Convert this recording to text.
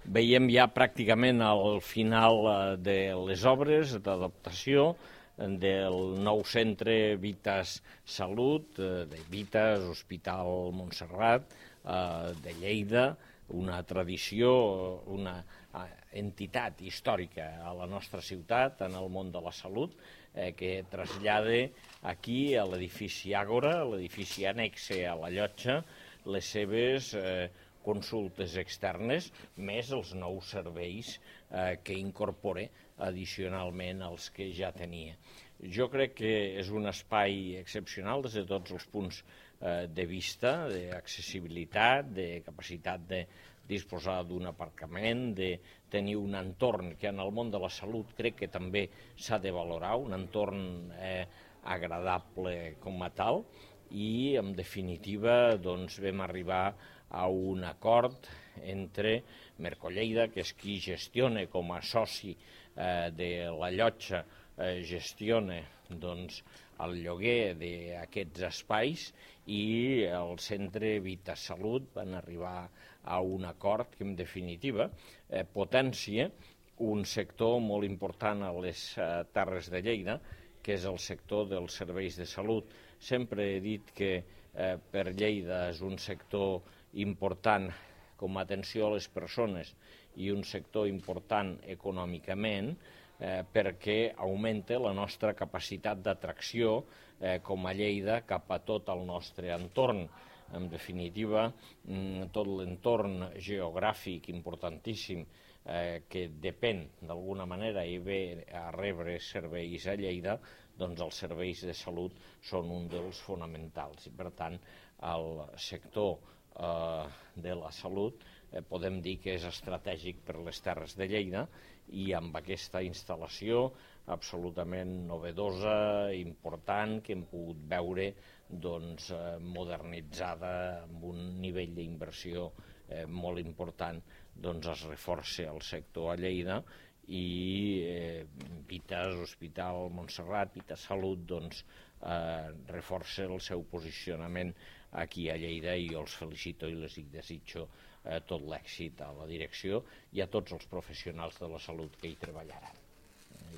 veiem ja pràcticament al final de les obres d'adaptació del nou centre Vitas Salut, de Vitas, Hospital Montserrat, de Lleida, una tradició, una entitat històrica a la nostra ciutat, en el món de la salut, que trasllada aquí a l'edifici Àgora, l'edifici annexe a la llotja, les seves consultes externes, més els nous serveis que incorpora addicionalment als que ja tenia. Jo crec que és un espai excepcional des de tots els punts de vista, d'accessibilitat, de capacitat de disposar d'un aparcament, de tenir un entorn que en el món de la salut crec que també s'ha de valorar, un entorn agradable com a tal, i en definitiva doncs, vam arribar a un acord entre Mercolleida, que és qui gestiona com a soci de la llotja, gestiona doncs, el lloguer d'aquests espais, i el centre Vita Salut van arribar a un acord que en definitiva potència un sector molt important a les Terres de Lleida, que és el sector dels serveis de salut. Sempre he dit que per Lleida és un sector important com a atenció a les persones i un sector important econòmicament, perquè augmenta la nostra capacitat d'atracció com a Lleida cap a tot el nostre entorn. En definitiva, tot l'entorn geogràfic importantíssim que depèn d'alguna manera i ve a rebre serveis a Lleida, doncs els serveis de salut són un dels fonamentals. I per tant, el sector de la salut podem dir que és estratègic per les Terres de Lleida, i amb aquesta instal·lació absolutament novedosa, important, que hem pogut veure doncs, modernitzada amb un nivell d'inversió molt important, doncs es reforça el sector a Lleida, i Vitas, Hospital Montserrat, Vitas Salut, doncs, reforça el seu posicionament aquí a Lleida, i jo els felicito i les desitjo tot l'èxit a la direcció i a tots els professionals de la salut que hi treballaran.